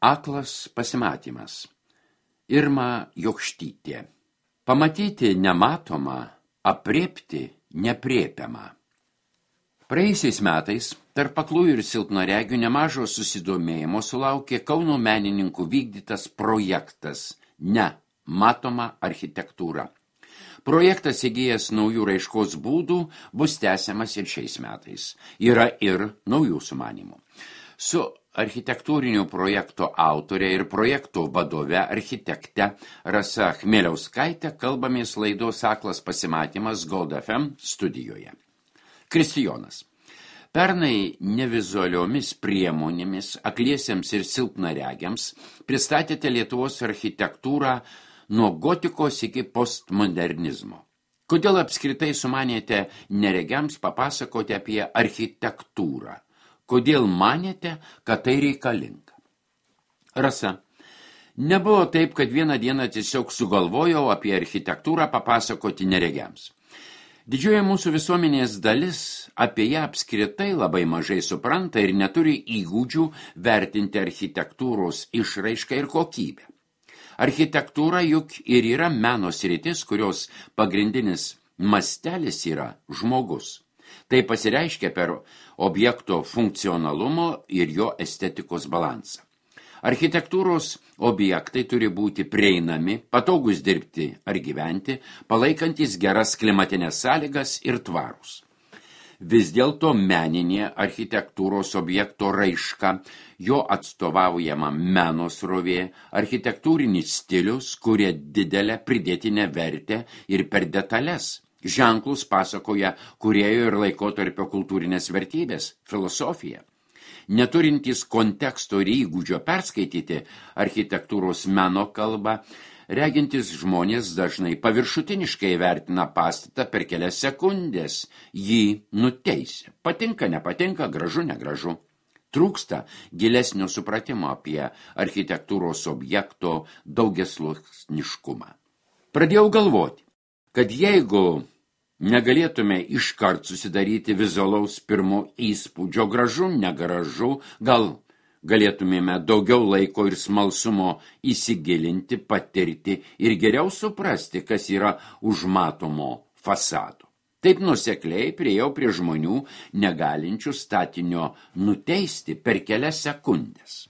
Aklas pasimatymas. Irma Jokštytė. Pamatyti nematomą, aprėpti nepriepiamą. Praėjusiais metais tarp aklųjų ir silpnaregių nemažo susidomėjimo sulaukė Kauno menininkų vykdytas projektas Nematoma architektūra. Projektas įgijęs naujų raiškos būdų bus tęsiamas ir šiais metais. Yra ir naujų sumanymų. Su architektūrinių projekto autorė ir projekto vadove architekte Rasa Chmieliauskaitė kalbamės laidos Aklas pasimatymas Gold FM studijoje. Kristijonas. Pernai nevizualiomis priemonėmis akliesiems ir silpnaregiams pristatėte Lietuvos architektūrą nuo gotikos iki postmodernizmo. Kodėl apskritai sumanėte neregiams papasakoti apie architektūrą? Kodėl manėte, kad tai reikalinga? Rasa. Nebuvo taip, kad vieną dieną tiesiog sugalvojau apie architektūrą papasakoti neregiams. Didžioji mūsų visuomenės dalis apie ją apskritai labai mažai supranta ir neturi įgūdžių vertinti architektūros išraišką ir kokybę. Architektūra juk ir yra meno sritis, kurios pagrindinis mastelis yra žmogus. Tai pasireiškia per objekto funkcionalumo ir jo estetikos balansą. Architektūros objektai turi būti prieinami, patogus dirbti ar gyventi, palaikantis geras klimatinės sąlygas ir tvarūs. Vis dėlto meninė architektūros objekto raiška, jo atstovaujama meno srovė, architektūrinis stilius kuria didelę pridėtinę vertę ir per detalės. Ženklus pasakoja kūrėjo ir laikotarpio kultūrinės vertybės, filosofija. Neturintys konteksto ir įgūdžio perskaityti architektūros meno kalbą, regintis žmonės dažnai paviršutiniškai vertina pastatą per kelias sekundės, jį nuteisia. Patinka, nepatinka, gražu, negražu. Trūksta gilesnio supratimo apie architektūros objekto daugiasluoksniškumą. Pradėjau galvoti, kad jeigu negalėtume iškart susidaryti vizualaus pirmo įspūdžio gražu, negražu, gal galėtumėme daugiau laiko ir smalsumo įsigilinti, patirti ir geriau suprasti, kas yra už matomo fasado. Taip nuosekliai priėjau prie žmonių, negalinčių statinio nuteisti per kelias sekundės.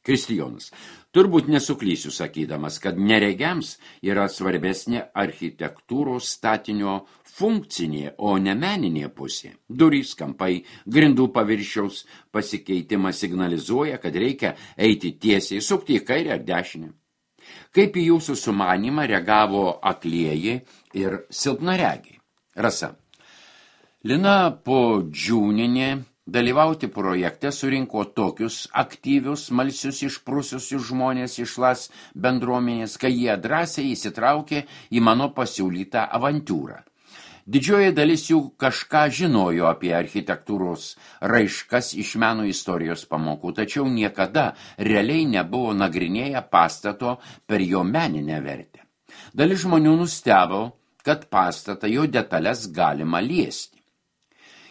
Kristijonas. Turbūt nesuklysiu sakydamas, kad neregiams yra svarbesnė architektūros statinio funkcinė, o ne meninė pusė. Durys, kampai, grindų paviršiaus pasikeitimas signalizuoja, kad reikia eiti tiesiai, sukti į kairę ar dešinę. Kaip į jūsų sumanymą reagavo aklieji ir silpnaregiai? Rasa. Lina Podžiūnienė dalyvauti projekte surinko tokius aktyvius, smalsius, išprusiusius žmonės iš LAS bendruomenės, kai jie drąsiai įsitraukė į mano pasiūlytą avantūrą. Didžioji dalis jų kažką žinojo apie architektūros raiškas iš meno istorijos pamokų, tačiau niekada realiai nebuvo nagrinėję pastato per jo meninę vertę. Dalis žmonių nustebo, kad pastatą jo detalės galima liesti.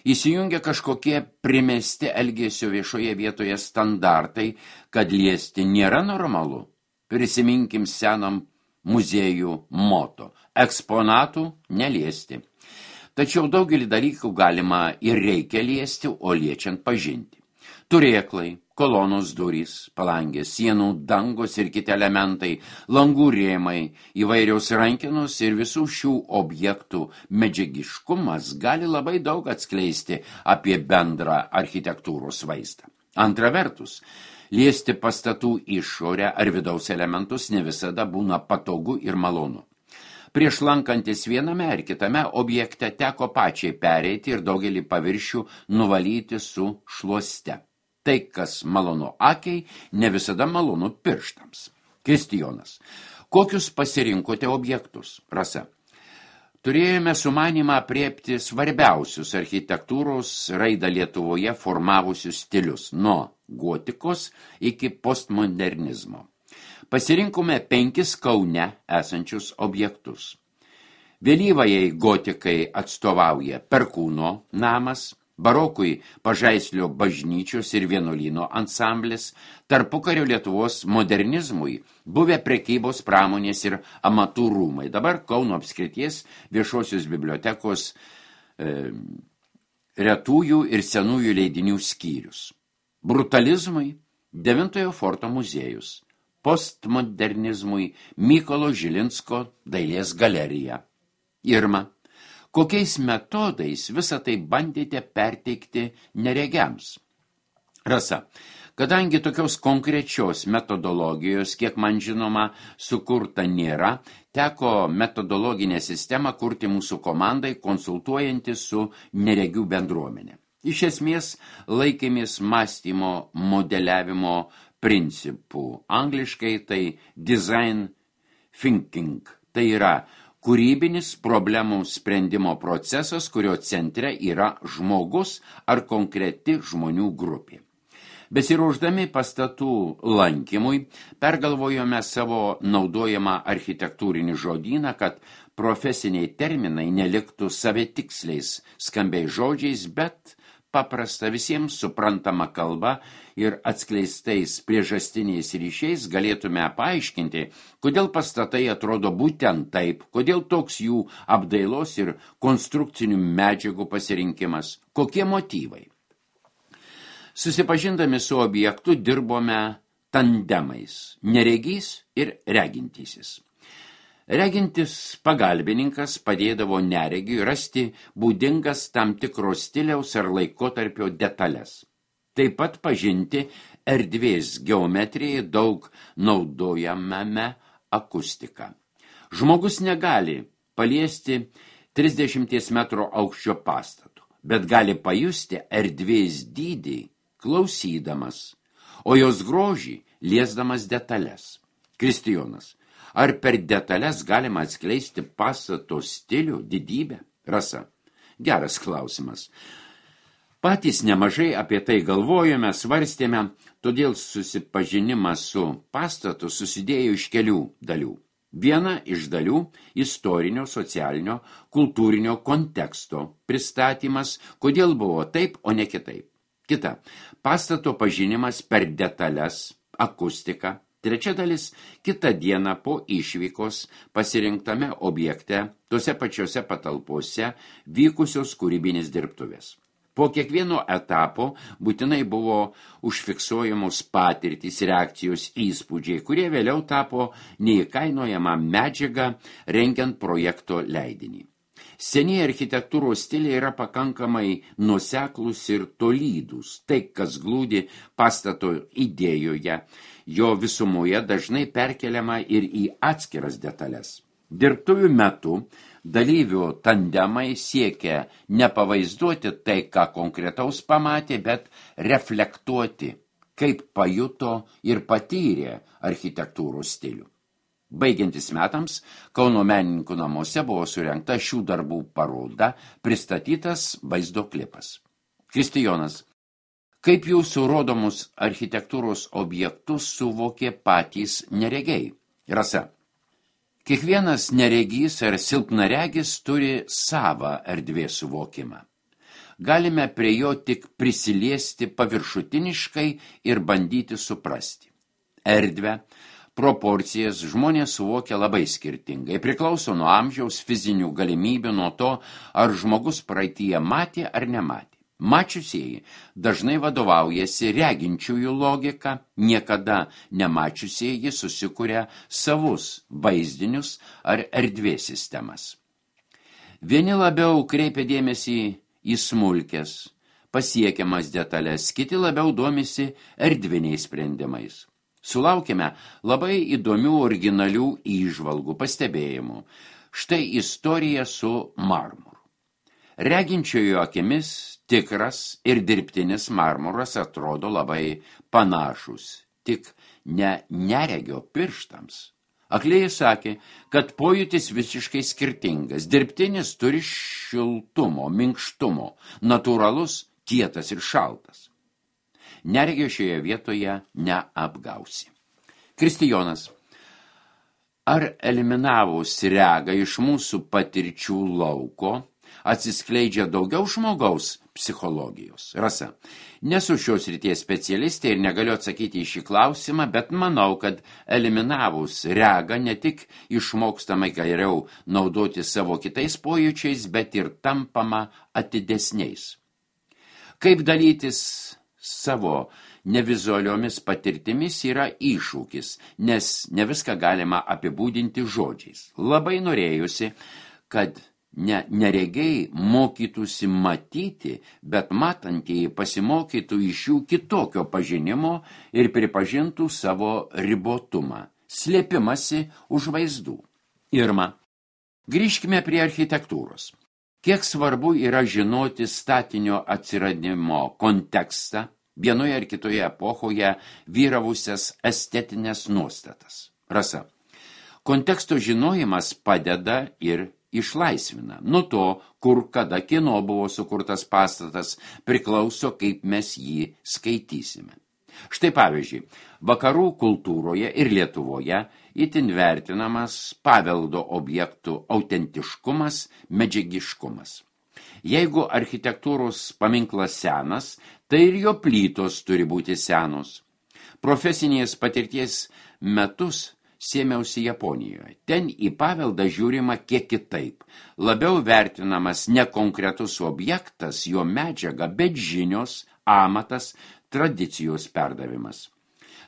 Įsijungia kažkokie primesti elgesio viešoje vietoje standartai, kad liesti nėra normalu. Prisiminkim senam muziejų moto – eksponatų neliesti. Tačiau daugelį dalykų galima ir reikia liesti, o liečiant pažinti. Turėklai, kolonos durys, palangės, sienų, dangos ir kiti elementai, langų rėmai, įvairiaus rankenos ir visų šių objektų medžiagiškumas gali labai daug atskleisti apie bendrą architektūros vaizdą. Antra vertus, liesti pastatų išorę ar vidaus elementus ne visada būna patogu ir malonu. Prieš lankantis viename ar kitame objekte teko pačiai pereiti ir daugelį paviršių nuvalyti su šluoste. Tai, kas malonu akiai, ne visada malonu pirštams. Kristijonas. Kokius pasirinkote objektus? Rasa. Turėjome sumanymą aprėpti svarbiausius architektūros raidą Lietuvoje formavusius stilius, nuo gotikos iki postmodernizmo. Pasirinkome 5 Kaune esančius objektus. Vėlyvajai gotikai atstovauja Perkūno namas, barokui Pažaislio bažnyčios ir vienuolyno ansamblis, tarpukario Lietuvos modernizmui buvę prekybos, pramonės ir amatų rūmai. Dabar Kauno apskrities viešosios bibliotekos retųjų ir senųjų leidinių skyrius. Brutalizmui Devintojo forto muziejus, postmodernizmui Mykolo Žilinsko dailės galerija. Irma, kokiais metodais visą tai bandėte perteikti neregiams? Rasa, kadangi tokios konkrečios metodologijos, kiek man žinoma, sukurta nėra, teko metodologinę sistemą kurti mūsų komandai, konsultuojantis su neregių bendruomenė. Iš esmės laikėmės mąstymo modeliavimo principų. Angliškai tai design thinking. Tai yra kūrybinis problemų sprendimo procesas, kurio centre yra žmogus ar konkreti žmonių grupė. Besiruošdami pastatų lankymui, pergalvojome savo naudojamą architektūrinį žodyną, kad profesiniai terminai neliktų savitiksliais skambiais žodžiais, bet paprasta visiems suprantama kalba ir atskleistais priežastiniais ryšiais galėtume paaiškinti, kodėl pastatai atrodo būtent taip, kodėl toks jų apdailos ir konstrukcinių medžiagų pasirinkimas, kokie motyvai. Susipažindami su objektu dirbome tandemais, neregys ir regintysis. Regintis pagalbininkas padėdavo neregiui rasti būdingas tam tikro stiliaus ar laikotarpio detalės. Taip pat pažinti erdvės geometrijai daug naudojamame akustiką. Žmogus negali paliesti 30 metrų aukščio pastato, bet gali pajusti erdvės dydį klausydamas, o jos grožį liesdamas detalės. Kristijonas, ar per detalės galima atskleisti pastato stilių, didybę? Rasa, geras klausimas. Patys nemažai apie tai galvojome, svarstėme, todėl susipažinimas su pastatu susidėjo iš kelių dalių. Viena iš dalių – istorinio, socialinio, kultūrinio konteksto pristatymas, kodėl buvo taip, o ne kitaip. Kita – pastato pažinimas per detalės, akustiką. Trečia dalis – kitą dieną po išvykos pasirinktame objekte, tose pačiose patalpose vykusios kūrybinės dirbtuvės. Po kiekvieno etapo būtinai buvo užfiksuojamos patirtys, reakcijos, įspūdžiai, kurie vėliau tapo neįkainojama medžiaga rengiant projekto leidinį. Senieji architektūros stiliai yra pakankamai nuoseklūs ir tolydūs. Tai, kas glūdi pastato idėjoje, jo visumoje dažnai perkeliama ir į atskiras detalės. Dirbtuvių metu dalyvių tandemai siekia nepavaizduoti tai, ką konkretaus pamatė, bet reflektuoti, kaip pajuto ir patyrė architektūros stilių. Baigiantis metams, Kauno menininkų namuose buvo surengta šių darbų paroda, pristatytas vaizdo klipas. Kristijonas, kaip jūsų rodomus architektūros objektus suvokė patys neregiai? Rasa, kiekvienas neregys ar silpnaregis turi savą erdvės suvokimą. Galime prie jo tik prisiliesti paviršutiniškai ir bandyti suprasti. Erdvę, proporcijas žmonės suvokia labai skirtingai, priklauso nuo amžiaus, fizinių galimybių, nuo to, ar žmogus praeityje matė ar nematė. Mačiusieji dažnai vadovaujasi reginčiųjų logika, niekada nemačiusieji susikuria savus vaizdinius ar erdvės sistemas. Vieni labiau kreipia dėmesį į smulkes, pasiekiamas detalės, kiti labiau domisi erdviniais sprendimais. Sulaukėme labai įdomių originalių įžvalgų, pastebėjimų. Štai istorija su marmuru. Reginčiojo akimis tikras ir dirbtinis marmuras atrodo labai panašus, tik ne neregio pirštams. Aklėjai sakė, kad pojūtis visiškai skirtingas. Dirbtinis turi šiltumo, minkštumo, natūralus, kietas ir šaltas. Neregio šioje vietoje neapgausi. Kristijonas, ar eliminavus regą iš mūsų patirčių lauko atsiskleidžia daugiau žmogaus psichologijos. Rasa, nesu šios ryties specialistė ir negaliu atsakyti į šį klausimą, bet manau, kad eliminavus regą ne tik išmokstama geriau naudoti savo kitais pojūčiais, bet ir tampama atidesniais. Kaip dalytis savo nevizualiomis patirtimis yra iššūkis, nes ne viską galima apibūdinti žodžiais. Labai norėjusi, kad neregiai mokytųsi matyti, bet matantieji pasimokytų iš jų kitokio pažinimo ir pripažintų savo ribotumą, slėpimasi už vaizdų. Irma, grįžkime prie architektūros. Kiek svarbu yra žinoti statinio atsiradimo kontekstą, vienoje ar kitoje epochoje vyravusias estetinės nuostatas. Rasa, konteksto žinojimas padeda ir išlaisvina. Nuo to, kur kada kieno buvo sukurtas pastatas, priklauso, kaip mes jį skaitysime. Štai pavyzdžiui, vakarų kultūroje ir Lietuvoje itin vertinamas paveldo objektų autentiškumas, medžiagiškumas. Jeigu architektūros paminklas senas, tai ir jo plytos turi būti senos. Profesinės patirties metus sėmiausi Japonijoje. Ten į paveldą žiūrima kiek kitaip. Labiau vertinamas ne konkretus objektas, jo medžiaga, bet žinios, amatas, tradicijos perdavimas.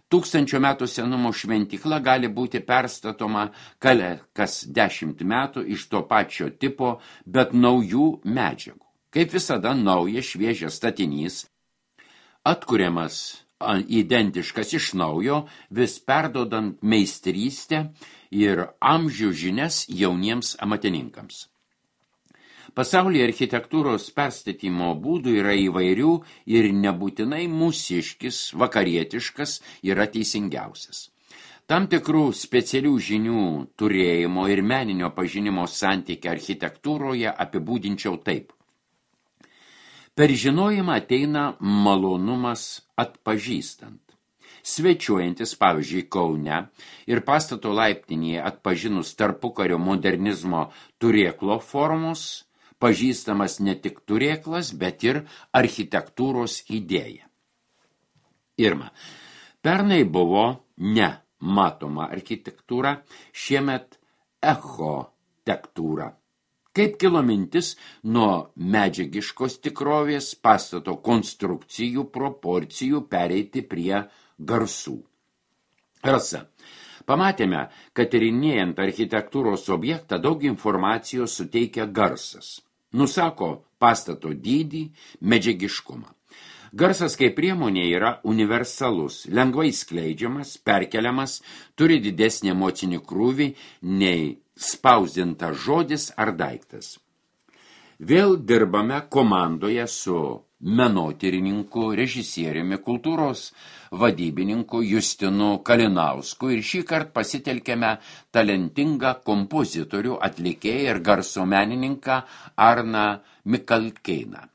1000 metų senumo šventykla gali būti perstatoma kas 10 metų iš to pačio tipo, bet naujų medžiagų. Kaip visada, naujas šviežias statinys, atkuriamas identiškas iš naujo, vis perdodant meistrystę ir amžių žinias jauniems amatininkams. Pasaulyje architektūros perstatymo būdų yra įvairių ir nebūtinai mūsiškis, vakarietiškas yra teisingiausias. Tam tikrų specialių žinių turėjimo ir meninio pažinimo santykį architektūroje apibūdinčiau taip. Per žinojimą ateina malonumas atpažįstant. Svečiuojantis, pavyzdžiui, Kaune ir pastato laiptinėje atpažinus tarpukario modernizmo turėklo formos, pažįstamas ne tik turėklas, bet ir architektūros idėja. Irma, pernai buvo nematoma architektūra, šiemet echotektūra. Kaip kilo mintis nuo medžiagiškos tikrovės pastato konstrukcijų, proporcijų pereiti prie garsų. Rasa, pamatėme, kad tyrinėjant architektūros objektą daug informacijos suteikia garsas. Nusako pastato dydį, medžiagiškumą. Garsas kaip priemonė yra universalus, lengvai skleidžiamas, perkeliamas, turi didesnį emocinį krūvį nei spausdintas žodis ar daiktas. Vėl dirbame komandoje su menotyrininku, režisieriumi, kultūros vadybininku Justinu Kalinausku ir šį kartą pasitelkėme talentingą kompozitorių, atlikėją ir garso menininką Arną Mikalkeiną.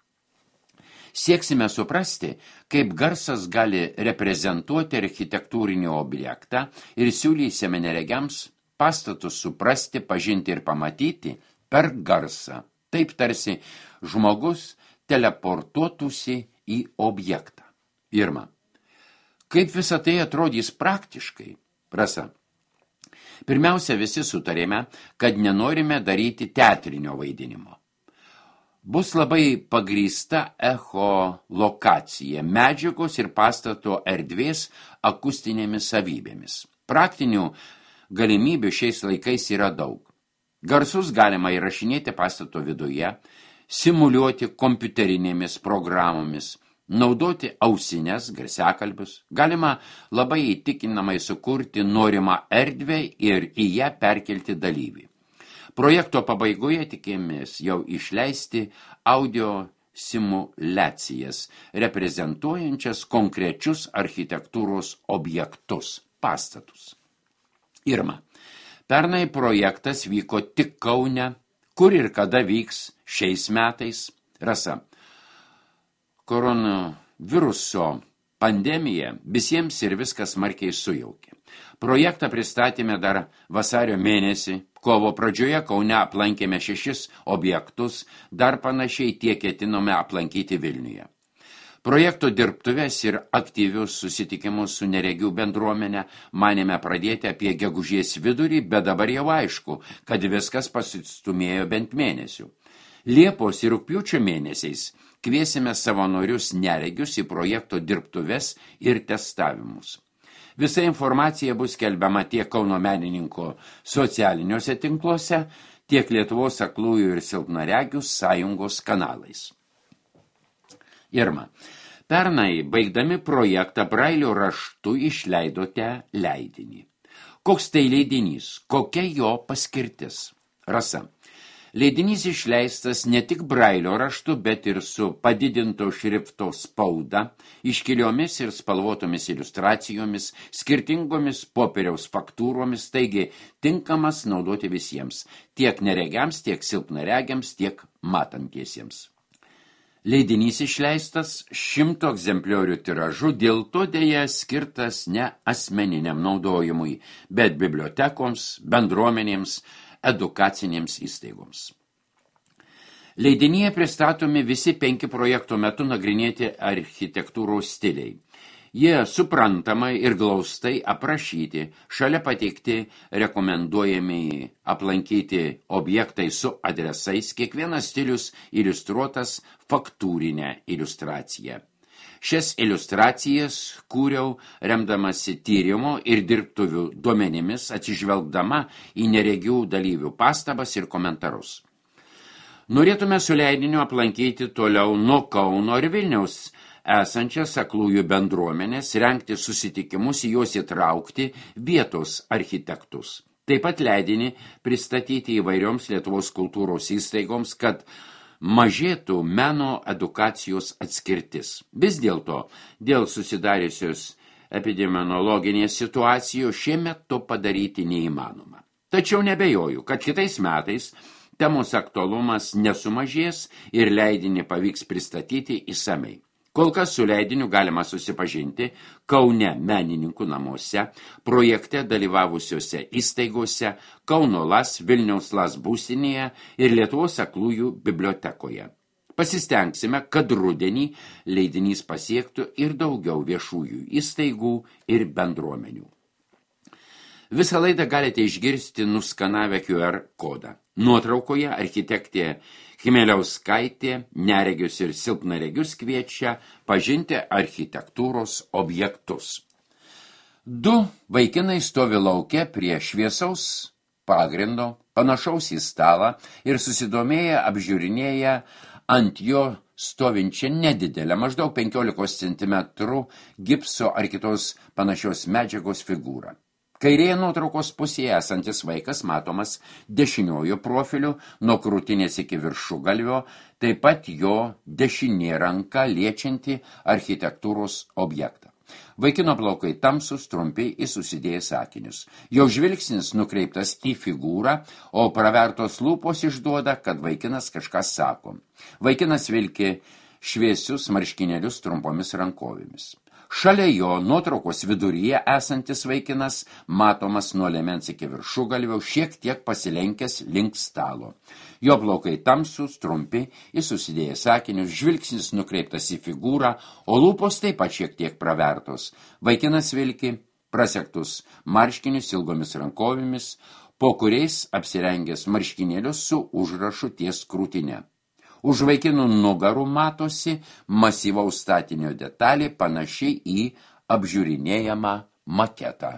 Sieksime suprasti, kaip garsas gali reprezentuoti architektūrinį objektą ir siūlysime neregiams pastatus suprasti, pažinti ir pamatyti per garsą. Taip tarsi žmogus teleportuotųsi į objektą. Irma, kaip visa tai atrodys praktiškai? Rasa, pirmiausia, visi sutarėme, kad nenorime daryti teatrinio vaidinimo. Bus labai pagrįsta echolokacija, medžiagos ir pastato erdvės akustinėmis savybėmis. Praktinių galimybių šiais laikais yra daug. Garsus galima įrašinėti pastato viduje, simuliuoti kompiuterinėmis programomis, naudoti ausines, garsiakalbius. Galima labai įtikinamai sukurti norimą erdvę ir į ją perkelti dalyvį. Projekto pabaigoje tikėmės jau išleisti audio simuliacijas, reprezentuojančias konkrečius architektūros objektus, pastatus. Irma, pernai projektas vyko tik Kaune, kur ir kada vyks šiais metais. Rasa, koronaviruso pandemija visiems ir viskas smarkiai sujaukė. Projektą pristatėme dar vasario mėnesį, kovo pradžioje Kaune aplankėme 6 objektus, dar panašiai tiek ketinome aplankyti Vilniuje. Projekto dirbtuves ir aktyvius susitikimus su neregių bendruomenė manėme pradėti apie gegužės vidurį, bet dabar jau aišku, kad viskas pasistumėjo bent mėnesių. Liepos ir rugpjūčio mėnesiais kviesime savanorius neregius į projekto dirbtuves ir testavimus. Visa informacija bus skelbiama tiek Kauno menininko socialiniuose tinkluose, tiek Lietuvos aklųjų ir silpnaregių sąjungos kanalais. Irma, pernai baigdami projektą Brailio raštu išleidote leidinį. Koks tai leidinys? Kokia jo paskirtis? Rasa. Leidinys išleistas ne tik Brailio raštu, bet ir su padidinto šrifto spauda, iškiliomis ir spalvotomis iliustracijomis, skirtingomis popieriaus faktūromis, taigi tinkamas naudoti visiems, tiek neregiams, tiek silpnaregiams, tiek matantiesiems. Leidinys išleistas 100 egzempliorių tiražu, dėl to dėja skirtas ne asmeniniam naudojimui, bet bibliotekoms, bendruomenėms, edukacinėms įstaigoms. Leidinyje pristatomi visi 5 projekto metu nagrinėti architektūros stiliai. Jie suprantamai ir glaustai aprašyti, šalia pateikti rekomenduojami aplankyti objektai su adresais, kiekvienas stilius iliustruotas faktūrinę iliustraciją. Šias iliustracijas kūriau remdamasi tyrimo ir dirbtuvių duomenimis, atsižvelgdama į neregių dalyvių pastabas ir komentarus. Norėtume su leidiniu aplankyti toliau nuo Kauno ir Vilniaus esančias aklųjų bendruomenės, rengti susitikimus, į juos įtraukti vietos architektus. Taip pat leidinį pristatyti įvairioms Lietuvos kultūros įstaigoms, kad mažėtų meno edukacijos atskirtis. Vis dėlto, dėl susidariusios epidemiologinės situacijos šiemet to padaryti neįmanoma. Tačiau nebejoju, kad kitais metais temos aktualumas nesumažės ir leidinį pavyks pristatyti išsamei. Kol kas su leidiniu galima susipažinti Kaune menininkų namuose, projekte dalyvavusiose įstaigose, Kauno LAS, Vilniaus LAS būstinėje ir Lietuvos aklųjų bibliotekoje. Pasistengsime, kad rudenį leidinys pasiektų ir daugiau viešųjų įstaigų ir bendruomenių. Visą laidą galite išgirsti nuskanavę QR kodą. Nuotraukoje architektė Chmieliauskaitė neregius ir silpnaregius kviečia pažinti architektūros objektus. 2 vaikinai stovi lauke prie šviesaus pagrindo, panašaus į stalą ir susidomėję apžiūrinėja ant jo stovinčią nedidelę, maždaug 15 cm gipso ar kitos panašios medžiagos figūrą. Kairėje nuotraukos pusėje esantis vaikas matomas dešiniojo profiliu nuo krūtinės iki viršugalvio, taip pat jo dešinė ranka liečianti architektūros objektą. Vaikino plaukai tamsus, trumpi į susidėjęs akinius. Jo žvilgsnis nukreiptas į figūrą, o pravertos lūpos išduoda, kad vaikinas kažką sako. Vaikinas vilki šviesius marškinėlius trumpomis rankovėmis. Šalia jo nuotraukos viduryje esantis vaikinas matomas nuo liemens iki viršugalvio, šiek tiek pasilenkęs link stalo. Jo plaukai tamsūs, trumpi, į susidėjęs akinius, žvilgsnis nukreiptas į figūrą, o lūpos taip pat šiek tiek pravertos. Vaikinas vilki prasektus marškinius ilgomis rankovėmis, po kuriais apsirengęs marškinėlius su užrašu ties krūtine. Už vaikinų nugarų matosi masyvaus statinio detalė panašiai į apžiūrinėjamą maketą.